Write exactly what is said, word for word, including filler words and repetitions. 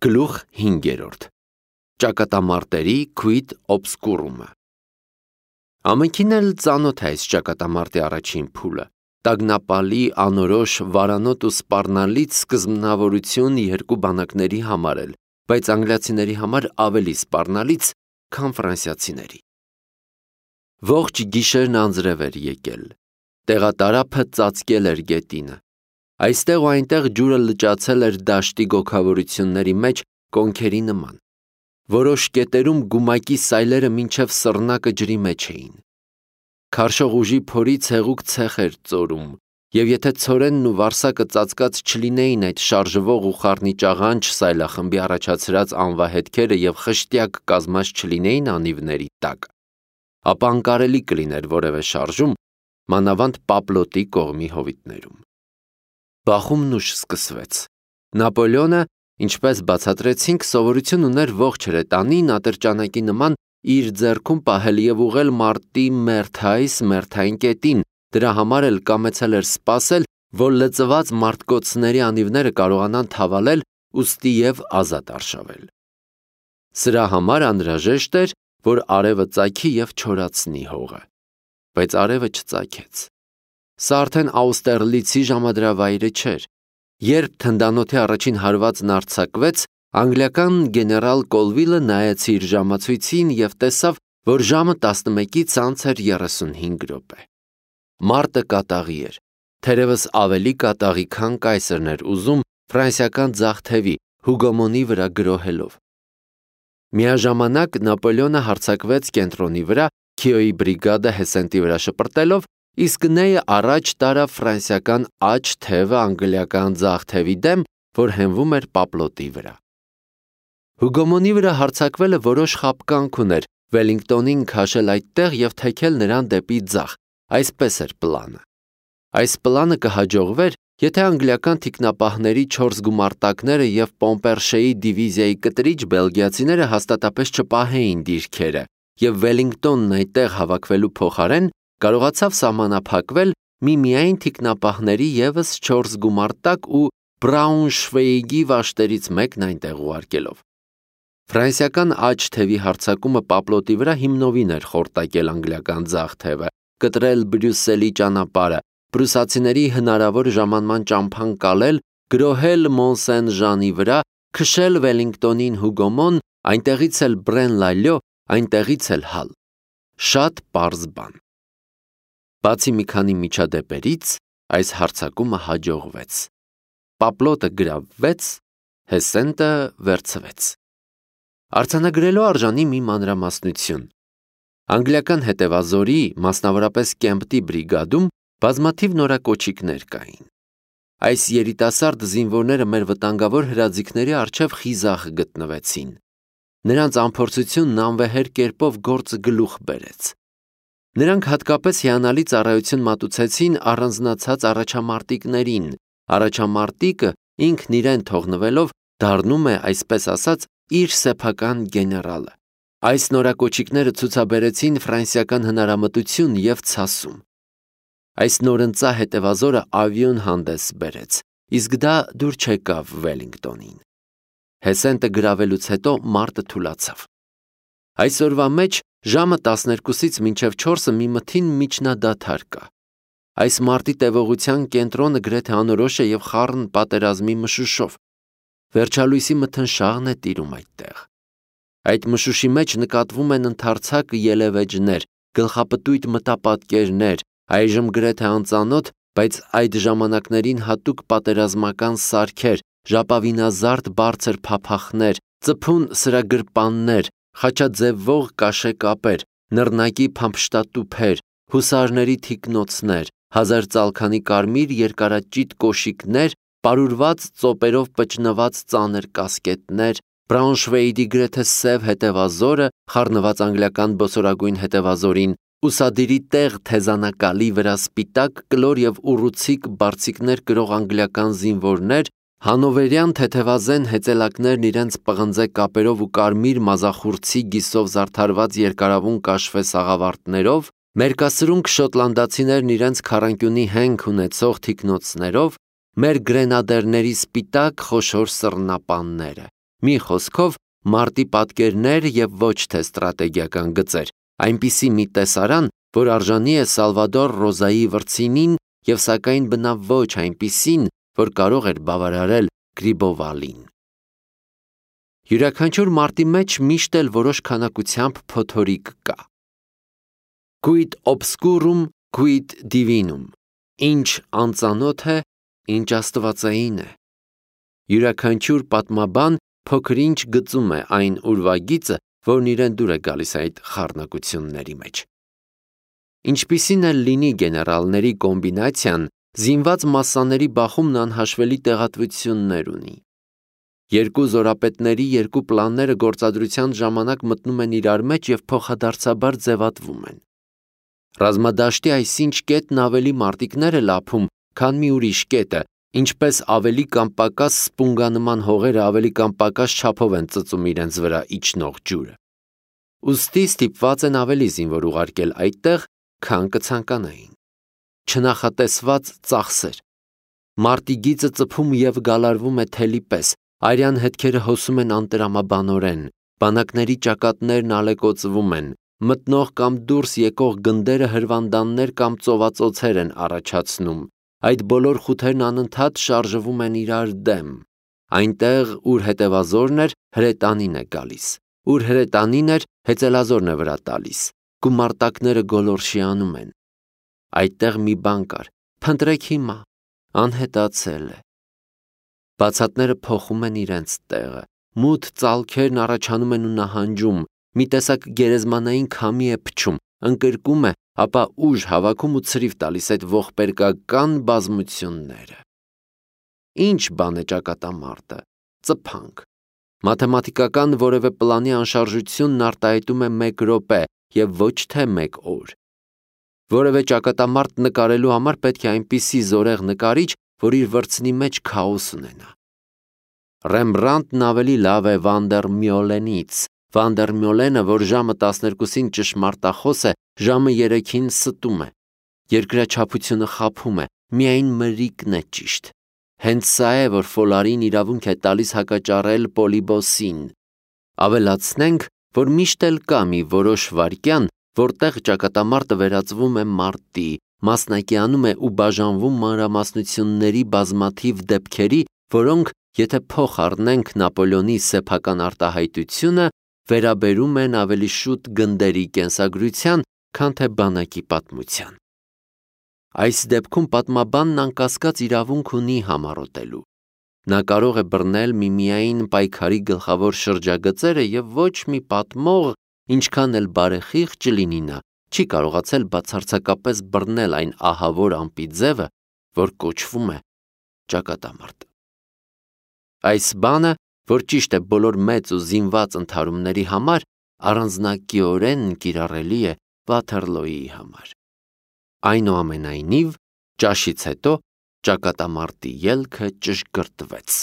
Գլուխ հինգերորդ. Ճակատամարտերի քույտ օբսկուրումը։ Ամենքին էլ ծանոթ է այս ճակատամարտի առաջին փուլը, տագնապալի, անորոշ, վարանոտ ու սպառնալից սկզբնավորություն երկու բանակների համար էլ, բայց անգլիացիների համար ավելի սպառնալից, քան ֆրանսիացիների։ Ողջ գիշերն անձրև էր եկել, տեղատարափը ծածկել էր գետինը, այստեղ ու այնտեղ ջուրը լճացել էր դաշտի գոգավորությունների մեջ կոնքերի նման, որոշ կետերում գումակի սայլերը մինչև սռնակը ջրի մեջ էին։ Քարշող ուժի փորից հեղուկ ցեխ էր ծորում, և եթե ցորենն ու վարսակը ծածկած չլինեին այդ շարժվող ու խառնիճաղանճ սայլախմբի առաջացրած անվահետքերը և խշտյակ կազմած չլինեին անիվների տակ, ապա անկարելի կլիներ որևէ շարժում, մանավանդ Պապլոտի կողմի հովիտներում։ Բախումն ուշ սկսվեց։ Նապոլեոնը, ինչպես բացատրեցինք, սովորություն ուներ ողջ հրետանին ատրճանակի նման իր ձեռքում պահել և ուղղել մարտի մերթայս մերթային կետին, դրա համար էլ կամեցել էր սպասել, որ լծված մարտկոցների անիվները կարողանան թավալել, ուստի և ազատ արշավել։ Սրա համար անհրաժեշտ էր, որ արևը ծագի և չորացնի հողը, բայց արևը չծագեց։ Սա արդեն Աուստերլիցի ժամադրավայրը չէր։ Երբ թնդանոթի առաջին հարվածն արձակվեց, անգլիական գեներալ Կոլվիլը նայեց իր ժամացույցին և տեսավ, որ ժամը տասնմեկից անց էր երեսունհինգ րոպե։ Մարտը կատաղի էր, թերևս ավելի կատաղի, քան կայսրն էր ուզում ֆրանսիական ձախ թևի Հուգոմոնի վրա գրոհելով։ Միաժամանակ Նապոլեոնը հարձակվեց կենտրոնի վրա, Քիոյի բրիգադը Հեսենտի վրա շպրտելով, իսկ Նեյը առաջ տարավ ֆրանսիական աջ թևը անգլիական ձախ թևի դեմ, որ հենվում էր Պապլոտի վրա։ Հուգոմոնի վրա հարձակվելը որոշ խաբկանք ուներ, Վելինգտոնին քաշել այդտեղ և թեքել նրան դեպի ձախ, այսպես էր պլանը։ Այս պլանը կհաջողվեր, եթե անգլիական թիկնապահների չորս գումարտակները և Պոմպերշեի դիվիզիայի կտրիչ բելգիացիները հաստատապես չպահեին դիրքերը, և Վելինգտոնն այդտեղ հավաքվելու փոխարեն կարողացավ սահմանափակվել միմիայն թիկնապահների ևս չորս գումարտակ ու Բրաունշվեիգի վաշտերից մեկն այնտեղ ուղարկելով։ Ֆրանսիական աջ թևի հարձակումը Պապլոտի վրա հիմնովին էր խորտակել անգլիական ձախ թևը, կտրել Բրյուսելի ճանապարհը, պրուսացիների հնարավոր ժամանման ճամփան կալել, գրոհել Մոնսեն-Ժանի վրա, քշել Վելինգտոնին Հուգոմոն, այնտեղից էլ Բրեն-Լալյո, այնտեղից էլ Հալ։ Շատ պարզ բան։ Բացի մի քանի միջադեպերից, այս հարձակումը հաջողվեց։ Պապլոտը գրավվեց, Հեսենտը վերցվեց։ Արձանագրելու արժանի մի մանրամասնություն։ Անգլիական հետևազորի, մասնավորապես Կեմպտի բրիգադում բազմաթիվ նորակոչիկներ կային։ Այս երիտասարդ զինվորները մեր վտանգավոր հրաձիգների առջև խիզախ գտնվեցին։ Նրանց անփորձությունն անվեհեր կերպով գործը գլուխ բերեց։ Նրանք հատկապես հիանալի ծառայություն մատուցեցին առանձնացած առաջամարտիկներին։ Առաջամարտիկը ինքն իրեն թողնվելով դառնում է, այսպես ասած, իր սեփական գեներալը։ Այս նորակոչիկները ցուցաբերեցին ֆրանսիական հնարամտություն և ցասում։ Այս նորընծա հետևազորը ավիոն հանդես բերեց, իսկ դա դուր չեկավ Վելինգտոնին։ Հեսենտը գրավելուց հետո մարտը թուլացավ։ Այսօրվա մեջ ժամը տասներկուսից մինչև չորսը մի մթին միջնադադար կա։ Այս մարտի տևողության կենտրոնը գրեթե անորոշ է և խառն պատերազմի մշուշով։ Վերջալույսի մթնշաղն է տիրում այդտեղ։ Այդ մշուշի մեջ նկատվում են ընդարձակ ելևէջներ, գլխապտույտ մտապատկերներ, այժմ գրեթե անծանոթ, բայց այդ ժամանակներին հատուկ պատերազմական սարքեր, ժապավինազարդ բարձր փափախներ, ծփուն սրագրպաններ, խաչաձևվող կաշեկապեր, նռնակի փամփշտատուփեր, հուսարների թիկնոցներ, հազար ծալքանի կարմիր երկարաճիտ կոշիկներ, պարուրված ծոպերով պճնված ծանր կասկետներ, Բրաունշվեիգի գրեթե սև հետևազորը, խառնված անգլիական բոսորագույն հետևազորին, ուսադիրի տեղ թեզանակալի վրա սպիտակ, կլոր և ուռուցիկ բարձիկներ կրող անգլիական զինվորներ, հանովերյան թեթևազեն հեծելակներն իրենց պղնձե կապերով ու կարմիր մազախուրձի գիսով զարդարված երկարավուն կաշվե սաղավարտներով, մերկասրունք շոտլանդացիներն իրենց քառանկյունի հենք ունեցող թիկնոցներով, մեր գրենադերների սպիտակ խոշոր սռնապանները, Մի խոսքով, մարտի պատկերներ և ոչ թե ստրատեգիական գծեր, այնպիսի մի տեսարան, որ արժանի է Սալվադոր Ռոզայի վրձինին և սակայն բնավ ոչ այնպիսին, որ կարող էր բավարարել Գրիբովալին։ Յուրաքանչյուր մարտի մեջ միշտ էլ որոշ քանակությամբ փոթորիկ կա։ Quid obscurum, quid divinum, ինչ անծանոթ է, ինչ աստվածային է։ Յուրաքանչյուր պատմաբան փոքր-ինչ գծում է այն ուրվագիծը, որն իրեն դուր է գալիս այդ խառնակությունների մեջ։ Ինչպիսին էլ լինի գեներալների կոմբինացիան, զինված մասսաների բախումն անհաշվելի տեղատվություններ ունի։ Երկու զորապետների երկու պլանները գործադրության ժամանակ մտնում են իրար մեջ և փոխադարձաբար ձևատվում են։ Ռազմադաշտի այսինչ կետն ավելի մարտիկներ է լափում, քան մի ուրիշ կետը, ինչպես ավելի կամ պակաս սպունգանման հողերը ավելի կամ պակաս չափով են ծծում իրենց վրա իջնող ջուրը։ Ուստի ստիպված են ավելի զինվոր ուղարկել այդտեղ, քան կցանկանային։ Չնախատեսված ծախսեր։ Մարտի գիծը ծփում և գալարվում է թելի պես, արյան հետքերը հոսում են անտրամաբանորեն, բանակների ճակատներն ալեկոծվում են, մտնող կամ դուրս եկող գնդերը հրվանդաններ կամ ծովածոցեր են առաջացնում, այդ բոլոր խութերն անընդհատ շարժվում են իրար դեմ։ Այնտեղ, ուր հետևազորն էր, հրետանին է գալիս, ուր հրետանին էր, հեծելազորն է վրա տալիս, գումարտակները գոլորշիանում են։ Այդտեղ մի բան կար, փնտրեք հիմա, անհետացել է։ Բացատները փոխում են իրենց տեղը, մութ ծալքերն առաջանում են ու նահանջում, մի տեսակ գերեզմանային քամի է փչում, ընկրկում է, ապա ուժ հավաքում ու ցրիվ տալիս այդ ողբերգական բազմությունները։ Ինչ բան է ճակատամարտը, ծփանք։ Մաթեմատիկական որևէ պլանի անշարժությունն արտահայտում է մեկ րոպե և ոչ թե մեկ օր։ Որևէ ճակատամարտ նկարելու համար պետք է այնպիսի զորեղ նկարիչ, որ իր վրձնի մեջ քաոս ունենա։ Ռեմբրանտն ավելի լավ է Վանդերմյոլենից, Վանդերմյոլենը, որ ժամը տասներկուսին ճշմարտախոս է, ժամը երեքին ստում է։ Երկրաչափությունը խաբում է, միայն մրրիկն է ճիշտ։ Հենց սա է, որ Ֆոլարին իրավունք է տալիս հակաճառել Պոլիբոսին։ Ավելացնենք, որ միշտ էլ կա մի որոշ վայրկյան, որտեղ ճակատամարտը վերածվում է մարտի, մասնակիանում է ու բաժանվում մանրամասնությունների բազմաթիվ դեպքերի, որոնք, եթե փոխ առնենք Նապոլեոնի սեփական արտահայտությունը, վերաբերում են ավելի շուտ գնդերի կենսագրության, քան թե բանակի պատմության։ Այս դեպքում պատմաբանն անկասկած իրավունք ունի համառոտելու։ Նա կարող է բռնել միմիայն պայքարի գլխավոր շրջագծերը և ոչ մի պատմող, ինչքան էլ բարեխիղճ լինի նա, չի կարողացել բացարձակապես բռնել այն ահավոր ամպի ձևը, որ կոչվում է ճակատամարտ։ Այս բանը, որ ճիշտ է բոլոր մեծ ու զինված ընդհարումների համար, առանձնակիորեն կիրառելի է Վաթերլոյի համար։ Այնուամենայնիվ, ճաշից հետո ճակատամարտի ելքը ճշգրտվեց։